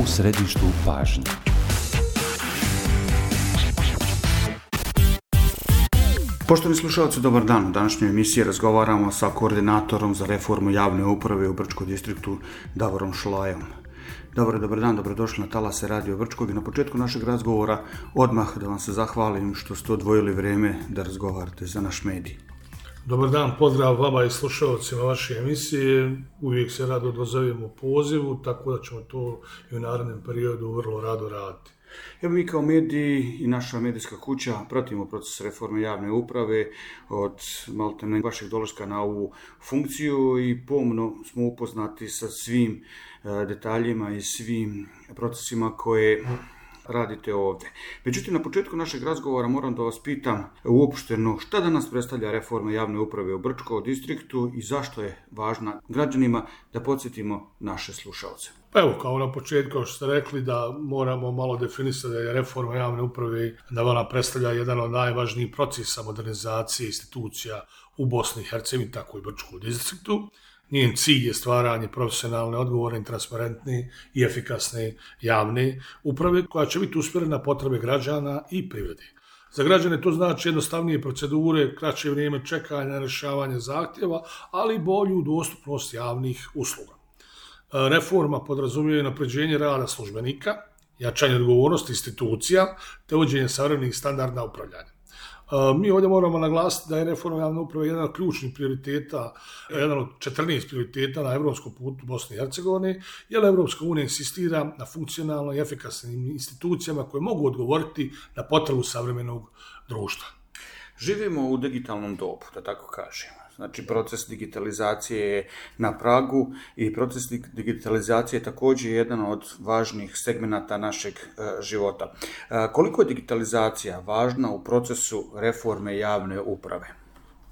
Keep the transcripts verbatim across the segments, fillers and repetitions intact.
u središtu pažnje. Poštovani slušalci, dobar dan. U današnjoj emisiji razgovaramo sa koordinatorom za reformu javne uprave u Brčkom distriktu Davorom Šolajom. Dobro, dobar dan, dobrodošli na talase Radio Brčkog i na početku našeg razgovora odmah da vam se zahvalim što ste odvojili vrijeme da razgovarate za naš medij. Dobar dan, pozdrav vama i slušalcima vaše emisije. Uvijek se rado odazovemo pozivu, tako da ćemo to i u narednom periodu vrlo rado raditi. Evo mi kao mediji i naša medijska kuća pratimo proces reforme javne uprave od maltene vašeg dolaska na ovu funkciju i pomno smo upoznati sa svim detaljima i svim procesima koje radite ovdje. Međutim, na početku našeg razgovora moram da vas pitam uopšteno šta danas predstavlja reforma javne uprave u Brčkom distriktu i zašto je važna građanima, da podsjetimo naše slušalce. Pa evo, kao na početku, kao što ste rekli, da moramo malo definisati da je reforma javne uprave, da ona predstavlja jedan od najvažnijih procesa modernizacije institucija u Bosni i Hercegovini, tako i Brčkom distriktu. Njen cilj je stvaranje profesionalne, odgovorne, transparentne i efikasne javne uprave koja će biti usmjerena na potrebe građana i privrede. Za građane to znači jednostavnije procedure, kraće vrijeme čekanja na rješavanje zahtjeva, ali i bolju dostupnost javnih usluga. Reforma podrazumijeva unapređenje rada službenika, jačanje odgovornosti institucija te uvođenje savremenih standarda upravljanja. Mi ovdje moramo naglasiti da je reforma javne uprave jedan od ključnih prioriteta, jedan od četrnaest prioriteta na evropskom putu Bosne i Hercegovine, jer Evropska unija insistira na funkcionalno i efikasnim institucijama koje mogu odgovoriti na potrebu savremenog društva. Živimo u digitalnom dobu, da tako kažemo. Znači, proces digitalizacije je na pragu i proces digitalizacije je također jedan od važnih segmenata našeg e, života. E, koliko je digitalizacija važna u procesu reforme javne uprave?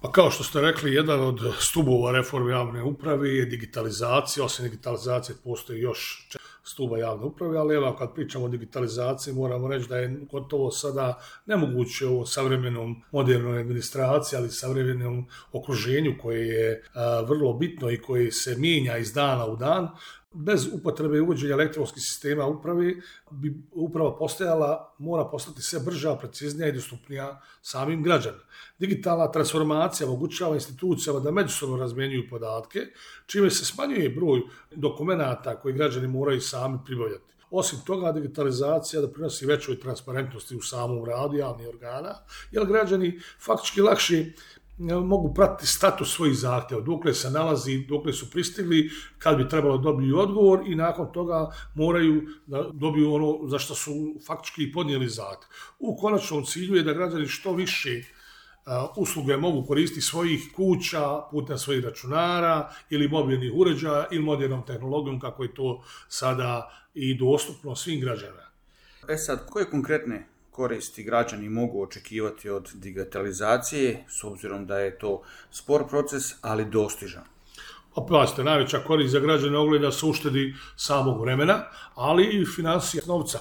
Pa kao što ste rekli, jedan od stubova reforme javne uprave je digitalizacija. Osim digitalizacije postoji još stuba javne uprave, ali evo kad pričamo o digitalizaciji moramo reći da je gotovo sada nemoguće u savremenom modernoj administraciji, ali savremenom okruženju koje je a, vrlo bitno i koje se mijenja iz dana u dan. Bez upotrebe i uvođenja elektronskih sistema uprave bi uprava postajala, mora postati sve brža, preciznija i dostupnija samim građanima. Digitalna transformacija omogućava institucijama da međusobno razmjenjuju podatke, čime se smanjuje broj dokumenata koji građani moraju sami pribavljati. Osim toga, digitalizacija doprinosi većoj transparentnosti u samom radu javnih organa, jer građani faktički lakše mogu pratiti status svojih zahtjeva, dokle se nalazi, dokle su pristigli, kad bi trebalo dobiti odgovor i nakon toga moraju da dobiju ono za što su faktički podnijeli zahtjev. U konačnom cilju je da građani što više usluge mogu koristiti svojih kuća putem svojih računara ili mobilnih uređaja ili modernom tehnologijom kako je to sada i dostupno svim građanima. E sad, koje konkretne koristi građani mogu očekivati od digitalizacije, s obzirom da je to spor proces, ali dostižan? Opasite, najveća korist za građane ogleda se uštedi samog vremena, ali i financija novca.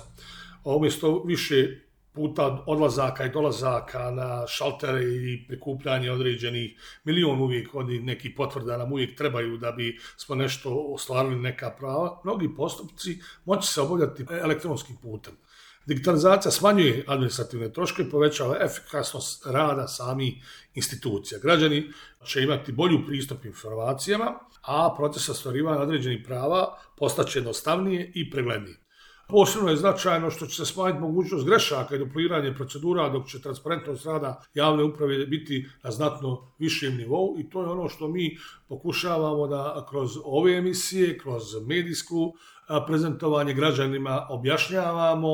Umjesto više puta odlazaka i dolazaka na šaltere i prikupljanje određenih milion uvijek od nekih potvrda nam uvijek trebaju da bi smo nešto ostvarili neka prava, mnogi postupci moći se obavljati elektronskim putem. Digitalizacija smanjuje administrativne troškove i povećava efikasnost rada samih institucija. Građani će imati bolju pristup informacijama, a proces ostvarivanja određenih prava postaće jednostavnije i preglednije. Posebno je značajno što će se smanjiti mogućnost grešaka i dupliranje procedura, dok će transparentnost rada javne uprave biti na znatno višem nivou i to je ono što mi pokušavamo da kroz ove emisije, kroz medijsku prezentovanje građanima objašnjavamo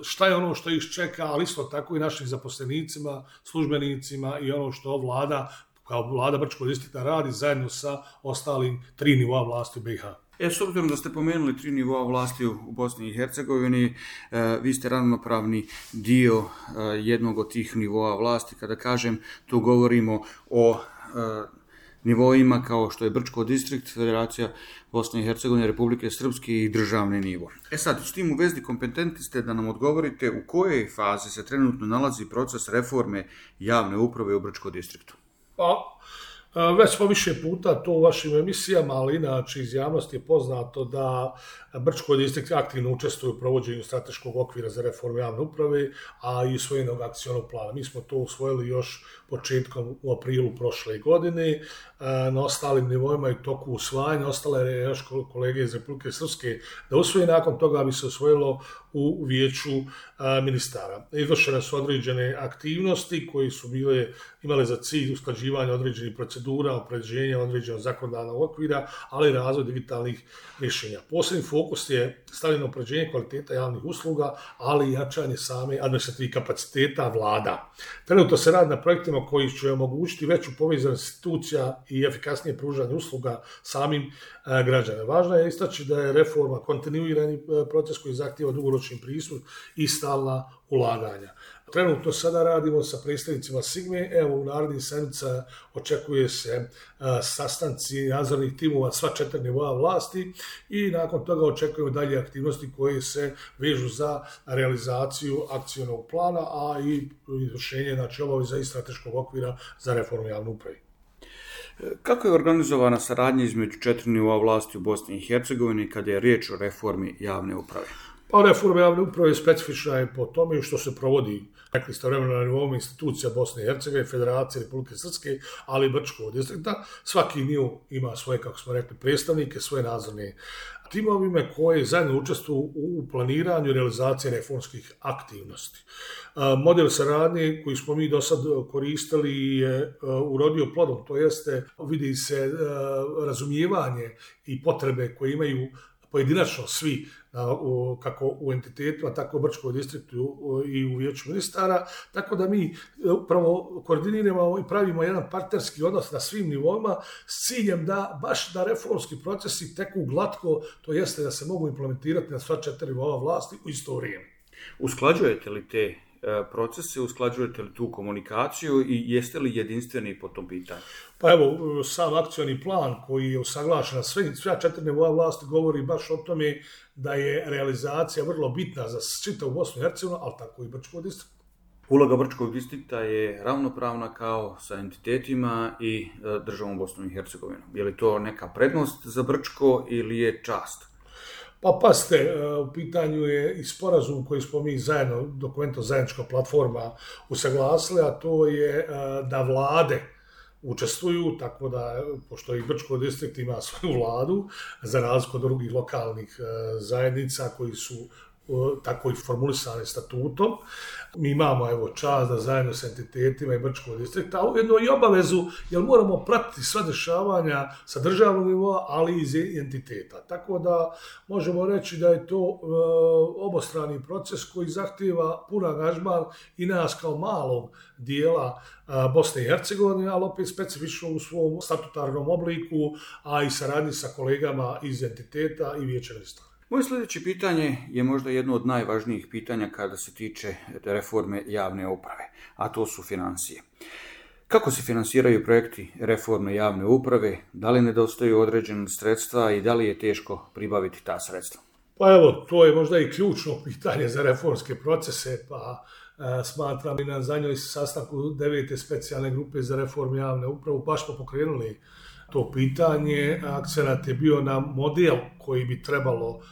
šta je ono što ih čeka, ali isto tako i našim zaposlenicima, službenicima i ono što vlada, kao vlada Brčkog distrikta radi zajedno sa ostalim tri nivoa vlasti u B i H. E, s obzirom da ste pomenuli tri nivoa vlasti u Bosni i Hercegovini, e, vi ste ravnopravni dio e, jednog od tih nivoa vlasti. Kada kažem, tu govorimo o e, nivoima kao što je Brčko distrikt, Federacija Bosne i Hercegovine, Republike Srpske i državni nivo. E sad, s tim u vezi kompetentni ste da nam odgovorite u kojoj fazi se trenutno nalazi proces reforme javne uprave u Brčkom distriktu? Pa, Već smo više puta to u vašim emisijama, ali inače iz javnosti je poznato da Brčko distrikt aktivno učestvuje u provođenju strateškog okvira za reformu javne uprave, a i usvojenog akcionog plana. Mi smo to usvojili još početkom u aprilu prošle godine. Na ostalim nivoima i toku usvajanja ostale je još kolege iz Republike Srpske da usvoje, nakon toga bi se usvojilo u vijeću ministara. Izvršene su određene aktivnosti koje su bile, imale za cilj usklađivanje određenih procedura, opređenja određenog zakonodavnog okvira, ali i razvoj digitalnih rješenja. Posebni fokus je stavljeno opređenje kvaliteta javnih usluga, ali i jačanje same administrativnih kapaciteta vlada. Trenutno se radi na projektima koji će omogućiti veću povezanost institucija i efikasnije pružanje usluga samim građanima. Važno je istaći da je reforma kontinuirani proces koji zahtijeva dugoročni pristup i stalna ulaganja. Trenutno sada radimo sa predstavnicima Sigme, evo u narednih sedmica očekuje se sastanci nadzornih timova sva četiri nivoa vlasti i nakon toga očekujemo dalje aktivnosti koje se vežu za realizaciju akcionog plana, a i izvršenje znači obaveza i strateškog okvira za reformu javne uprave. Kako je organizovana saradnja između četiri nivoa vlasti u Bosni i Hercegovini kada je riječ o reformi javne uprave? Pa reforma javne uprave specifična je po tome što se provodi, rekli ste, vremena na nivou institucija Bosne i Hercegovine, Federacije Republike Srpske, ali i Brčkog distrikta. Svaki nivo ima svoje, kako smo rekli, predstavnike, svoje nadzorne timovime koje zajedno učestvuju u planiranju i realizaciji reformskih aktivnosti. Model saradnje koji smo mi do sad koristili je urodio plodom, to jeste vidi se razumijevanje i potrebe koje imaju pojedinačno svi, kako u entitetima, tako u Brčkom distriktu i u vijeću ministara, tako da mi upravo koordiniramo i pravimo jedan partnerski odnos na svim nivoima s ciljem da baš da reformski procesi teku glatko, to jeste da se mogu implementirati na sva četiri nivoa vlasti u isto vrijeme. Usklađujete li te procese, usklađujete li tu komunikaciju i jeste li jedinstveni po tom pitanju? Pa evo, sam akcioni plan koji je usaglašen na sve, sve četiri nivoa vlasti govori baš o tome da je realizacija vrlo bitna za čitavu Bosnu i Hercegovinu, ali tako i Brčkog distrikta. Uloga Brčkog distrikta je ravnopravna kao sa entitetima i državom Bosnom i Hercegovinom. Je li to neka prednost za Brčko ili je čast? Pa paste, u pitanju je i sporazum koji smo mi zajedno, dokumento zajednička platforma usaglasili, a to je da vlade učestvuju, tako da, pošto i Brčko distrikt ima svoju vladu, za razliku od drugih lokalnih zajednica koji su tako i formulisane statutom. Mi imamo evo čast da zajedno s entitetima i Brčkog distrikta, a ujedno i obavezu, jer moramo pratiti sva dešavanja sa državnog nivoa, ali i iz entiteta. Tako da možemo reći da je to e, obostrani proces koji zahtijeva pun angažman i nas kao malog dijela e, Bosne i Hercegovine, ali opet specifično u svom statutarnom obliku, a i saradnji sa kolegama iz entiteta i vijeća ministara. Moje sljedeće pitanje je možda jedno od najvažnijih pitanja kada se tiče reforme javne uprave, a to su financije. Kako se finansiraju projekti reforme javne uprave, da li nedostaju određena sredstva i da li je teško pribaviti ta sredstva? Pa evo, to je možda i ključno pitanje za reformske procese, pa e, smatram i na zadnjoj sastanku devete specijalne grupe za reformu javne uprave, baš smo pokrenuli to pitanje. Akcenat je bio na model koji bi trebalo uh,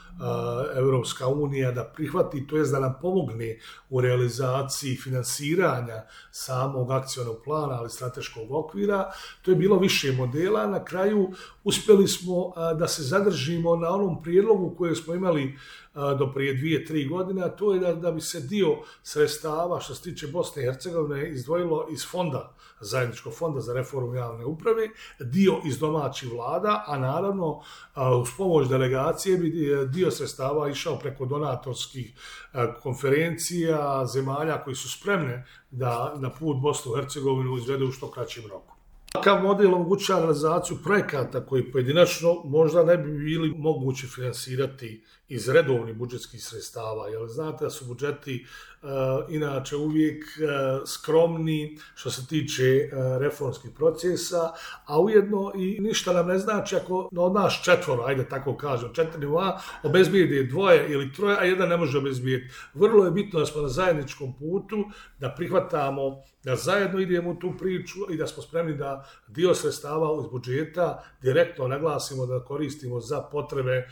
Europska unija da prihvati, to jest da nam pomogne u realizaciji finansiranja samog akcionog plana, ali strateškog okvira. To je bilo više modela. Na kraju uspjeli smo uh, da se zadržimo na onom prijedlogu koje smo imali uh, do prije dvije, tri godine, a to je da, da bi se dio sredstava što se tiče Bosne i Hercegovine izdvojilo iz fonda, zajedničkog fonda za reformu javne uprave, dio iz domaćih vlada, a naravno uh, uz pomoć delegacije bi dio sredstava išao preko donatorskih konferencija zemalja koji su spremne da na put Bosnu i Hercegovinu izvedu u što kraćem roku. Takav model omogućava realizaciju projekata koji pojedinačno možda ne bi bili mogući finansirati iz redovnih budžetskih sredstava, jer znate da su budžeti uh, inače uvijek uh, skromni što se tiče uh, reformskih procesa, a ujedno i ništa nam ne znači ako od nas četvoro, ajde tako kažem, četiri nivoa, obezbijedi dvoje ili troje, a jedan ne može obezbijeti. Vrlo je bitno da smo na zajedničkom putu, da prihvatamo, da zajedno idemo u tu priču i da smo spremni da da dio sredstava iz budžeta direktno naglasimo da koristimo za potrebe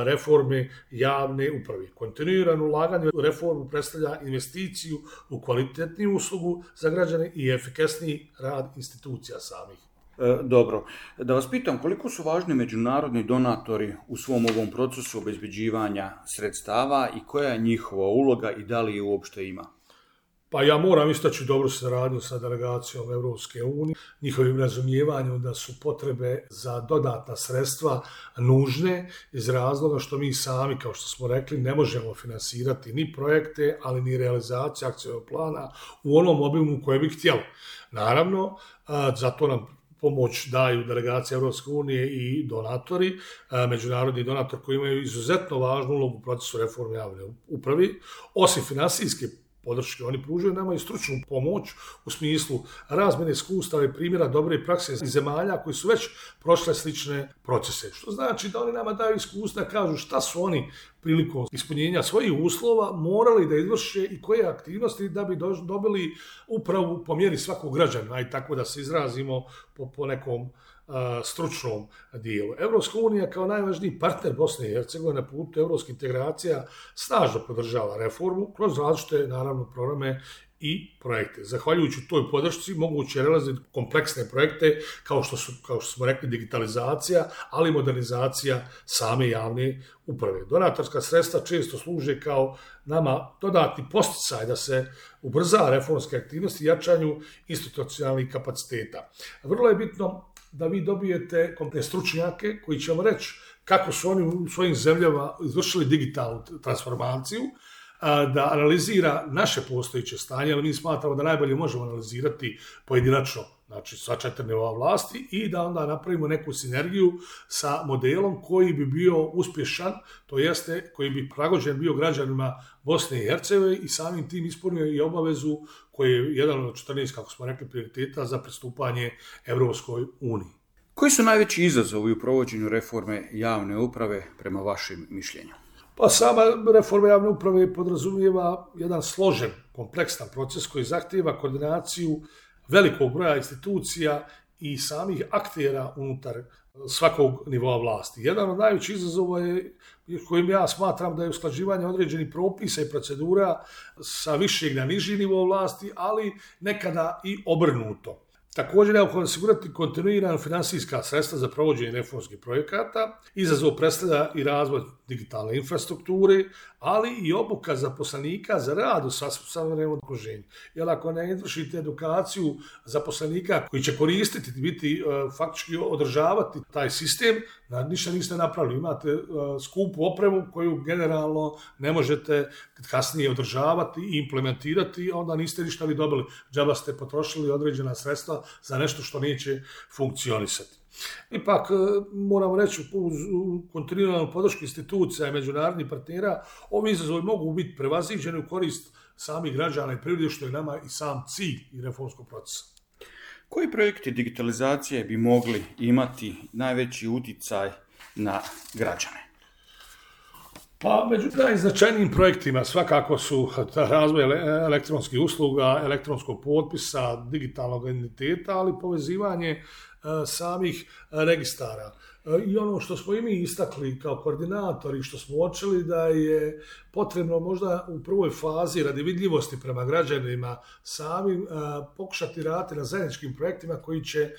reforme javne uprave. Kontinuirano ulaganje u reformu predstavlja investiciju u kvalitetniju uslugu za građane i efikasniji rad institucija samih. E, dobro, da vas pitam koliko su važni međunarodni donatori u svom ovom procesu obezbeđivanja sredstava i koja je njihova uloga i da li je uopšte ima? Pa ja moram istaći dobru saradnju sa delegacijom Evropske unije, njihovim razumijevanjem da su potrebe za dodatna sredstva nužne iz razloga što mi sami, kao što smo rekli, ne možemo finansirati ni projekte, ali ni realizaciju akcijnog plana u onom obimu koje bi htjeli. Naravno, zato nam pomoć daju delegacije Evropske unije i donatori, međunarodni donator koji imaju izuzetno važnu ulogu u procesu reforme javne uprave, osim finansijske podrške. Oni pružaju nama i stručnu pomoć u smislu razmjene iskustava i primjera dobre prakse iz zemalja koji su već prošle slične procese. Što znači da oni nama daju iskustva, kažu šta su oni prilikom ispunjenja svojih uslova morali da izvrše i koje aktivnosti da bi dobili upravu po mjeri svakog građana, aj tako da se izrazimo po, po nekom stručnom dijelu. Evropska unija kao najvažniji partner Bosne i Hercegovine na putu evropskih integracija snažno podržava reformu kroz različite, naravno, programe i projekte. Zahvaljujući toj podršci moguće je realizovati kompleksne projekte kao što su, kao što smo rekli, digitalizacija, ali i modernizacija same javne uprave. Donatorska sredstva često služe kao nama dodatni podsticaj da se ubrza reformske aktivnosti i jačanju institucionalnih kapaciteta. Vrlo je bitno da vi dobijete kompletne stručnjake koji će vam reći kako su oni u svojim zemljama izvršili digitalnu transformaciju, da analizira naše postojeće stanje, ali mi smatramo da najbolje možemo analizirati pojedinačno, znači sva četiri nivoa vlasti, i da onda napravimo neku sinergiju sa modelom koji bi bio uspješan, to jeste koji bi prilagođen bio građanima Bosne i Hercegovine i samim tim ispunio i obavezu koji je jedan od četrnaest, kako smo rekli, prioriteta za pristupanje Evropskoj uniji. Koji su najveći izazovi u provođenju reforme javne uprave prema vašim mišljenju? Pa sama reforma javne uprave podrazumijeva jedan složen, kompleksan proces koji zahtijeva koordinaciju velikog broja institucija i samih aktera unutar svakog nivoa vlasti. Jedan od najvećih izazova je, kojim ja smatram da je usklađivanje određenih propisa i procedura sa višeg na niži nivo vlasti, ali nekada i obrnuto. Također, neophodno osigurati kontinuirano finansijska sredstva za provođenje reformskih projekata. Izazov predstavlja i razvoj digitalne infrastrukture, ali i obuka zaposlenika za rad u savremenom okruženju. Jer ako ne izvršite edukaciju zaposlenika koji će koristiti, biti faktički održavati taj sistem, ništa niste napravili. Imate skupu opremu koju generalno ne možete kasnije održavati i implementirati, onda niste ništa vi dobili. Džaba ste potrošili određena sredstva za nešto što neće funkcionisati. Ipak, moramo reći, uz kontinuiranu podršku institucija i međunarodnih partnera, ovi izazovi mogu biti prevaziđeni u korist samih građana i privrede, što je nama i sam cilj i reformskog procesa. Koji projekti digitalizacije bi mogli imati najveći uticaj na građane? Pa među najznačajnijim projektima svakako su razvoj elektronskih usluga, elektronskog potpisa, digitalnog identiteta, ali povezivanje samih registara. I ono što smo i mi istakli kao koordinatori, što smo uočili da je potrebno možda u prvoj fazi radi vidljivosti prema građanima samim pokušati raditi na zajedničkim projektima koji će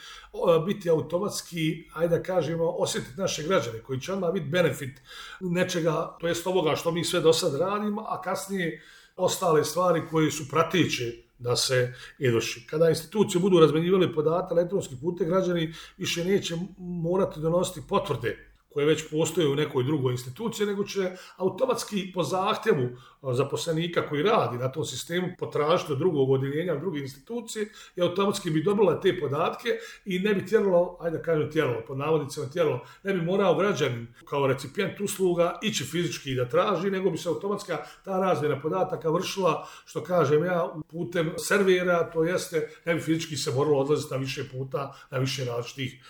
biti automatski, ajde da kažemo, osjetiti naše građane, koji će odmah biti benefit nečega, to jest ovoga što mi sve do sad radimo, a kasnije ostale stvari koje su prateće da se izvrši. Kada institucije budu razmenjivali podatke elektronskih putem, građani više neće morati donositi potvrde koje već postoje u nekoj drugoj instituciji, nego će automatski po zahtjevu zaposlenika koji radi na tom sistemu potražiti od drugog odjeljenja, od druge institucije i automatski bi dobila te podatke i ne bi tjeralo, ajde da kažem tjeralo, pod navodnicima tjeralo, ne bi morao građanin kao recipijent usluga ići fizički da traži, nego bi se automatska ta razmjena podataka vršila, što kažem ja, putem servera, to jeste, ne bi fizički se moralo odlaziti na više puta, na više različitih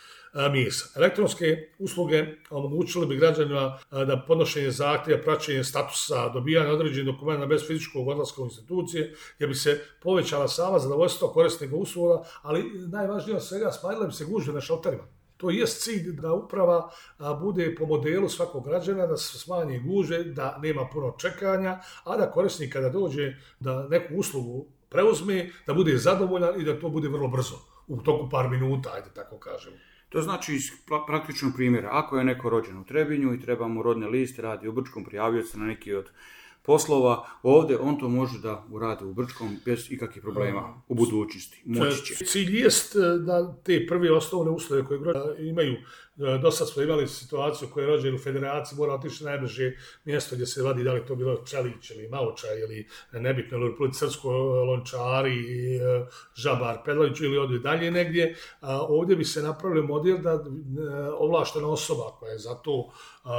mjesta. Elektronske usluge omogućile bi građanima da podnošenje zahtjeva, praćenje statusa, dobijanje određenih dokumenta bez fizičkog odlaska u institucije, jer bi se povećala sama zadovoljstvo korisnika usluga, ali najvažnije od svega smanjile bi se gužve na šalterima. To je cilj da uprava bude po modelu svakog građana, da se smanje gužve, da nema puno čekanja, a da korisnik kada dođe da neku uslugu preuzme, da bude zadovoljan i da to bude vrlo brzo, u toku par minuta, ajde tako kažemo. To znači iz praktičnog primjera, ako je neko rođen u Trebinju i treba mu rodni list, radi u Brčkom, prijavio se na neki od poslova, ovdje on to može da uradi u Brčkom bez ikakvih problema u budućnosti. Moći će. Cilj jest da te prve osnovne uslove koje imaju, do sad smo imali situaciju koja je rođen u federaciji, mora otići na najbliže mjesto gdje se vadi, da li to bilo Čelić ili Maučaj ili nebitno, ili u Republici Srpskoj Lončari, Žabar, Pedlović ili ovdje dalje negdje. Ovdje bi se napravili model da ovlaštena osoba koja je za to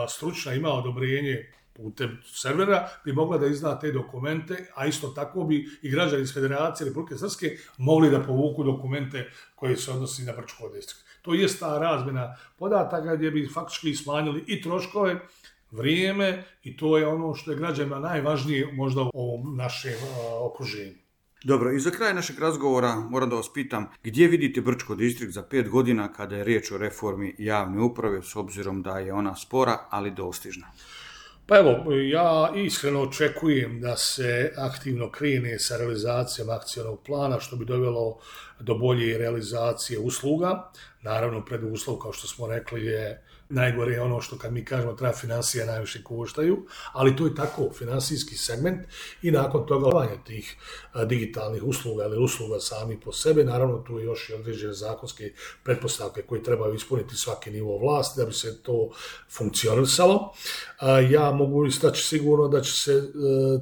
stručna, ima odobrenje putem servera, bi mogla da izda te dokumente, a isto tako bi i građani iz Federacije Republike Srpske mogli da povuku dokumente koji se odnosi na Brčko distrikt. To je ta razmjena podataka gdje bi faktički smanjili i troškove, vrijeme, i to je ono što je građanima najvažnije možda u ovom našem okruženju. Dobro, i za kraj našeg razgovora moram da vas pitam, gdje vidite Brčko distrikt za pet godina kada je riječ o reformi javne uprave, s obzirom da je ona spora, ali dostižna? Pa evo, ja iskreno očekujem da se aktivno krene sa realizacijom akcionog plana, što bi dovelo do bolje realizacije usluga. Naravno, preduslov, kao što smo rekli, je najgore je ono što kad mi kažemo treba financije najviše koštaju, ali to je tako, finansijski segment, i nakon toga obavljanje tih digitalnih usluga ili usluga sami po sebe, naravno tu je još i određene zakonske pretpostavke koje trebaju ispuniti svaki nivo vlasti da bi se to funkcionisalo. Ja mogu istaći sigurno da će se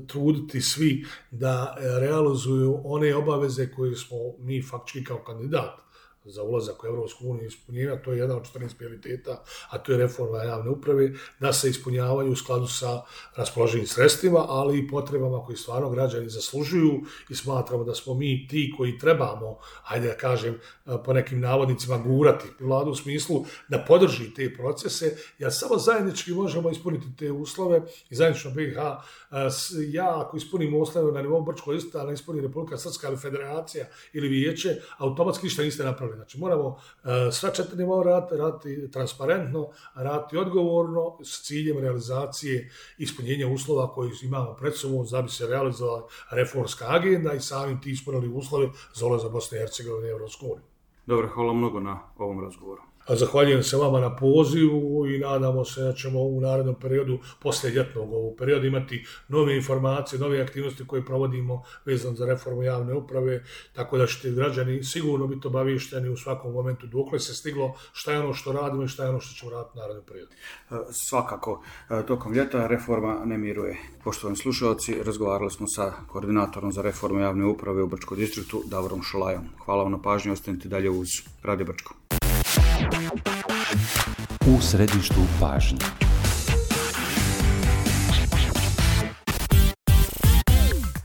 truditi svi da realizuju one obaveze koje smo mi faktički kao kandidat za ulazak u Evropsku uniju ispunjenja, to je jedan od četrnaest prioriteta, a to je reforma javne uprave, da se ispunjavaju u skladu sa raspoloženim sredstvima, ali i potrebama koji stvarno građani zaslužuju, i smatramo da smo mi ti koji trebamo, ajde da kažem, po nekim navodnicima gurati vladu u smislu da podrži te procese, jer samo zajednički možemo ispuniti te uslove i zajednično B i H. Ja ako ispunim uslove na nivou Brčkog distrikta, ali ne ispuni Republika Srpska ili Federacija ili Vijeće, automatski ništa niste napravili. Znači moramo uh, sva četiri nivoa raditi, raditi transparentno, raditi odgovorno s ciljem realizacije ispunjenja uslova koji imamo pred sobom da bi se realizovala reformska agenda i samim ti ispunili uslove za ulazak Bosne i Hercegovine u Evropsku uniju. Dobro, hvala mnogo na ovom razgovoru. Zahvaljujem se vama na pozivu i nadamo se da ćemo u narednom periodu, poslije ljetnog ovog perioda, imati nove informacije, nove aktivnosti koje provodimo vezano za reformu javne uprave, tako da ćete građani sigurno biti obavješteni u svakom momentu dokle se stiglo, šta je ono što radimo i šta je ono što ćemo raditi u narednom periodu. Svakako, tokom ljeta reforma ne miruje. Poštovani slušalci, razgovarali smo sa koordinatorom za reformu javne uprave u Brčkom distriktu, Davorom Šolajom. Hvala vam na pažnji, ostanite dalje uz Radio Brčko. U središtu pažnje.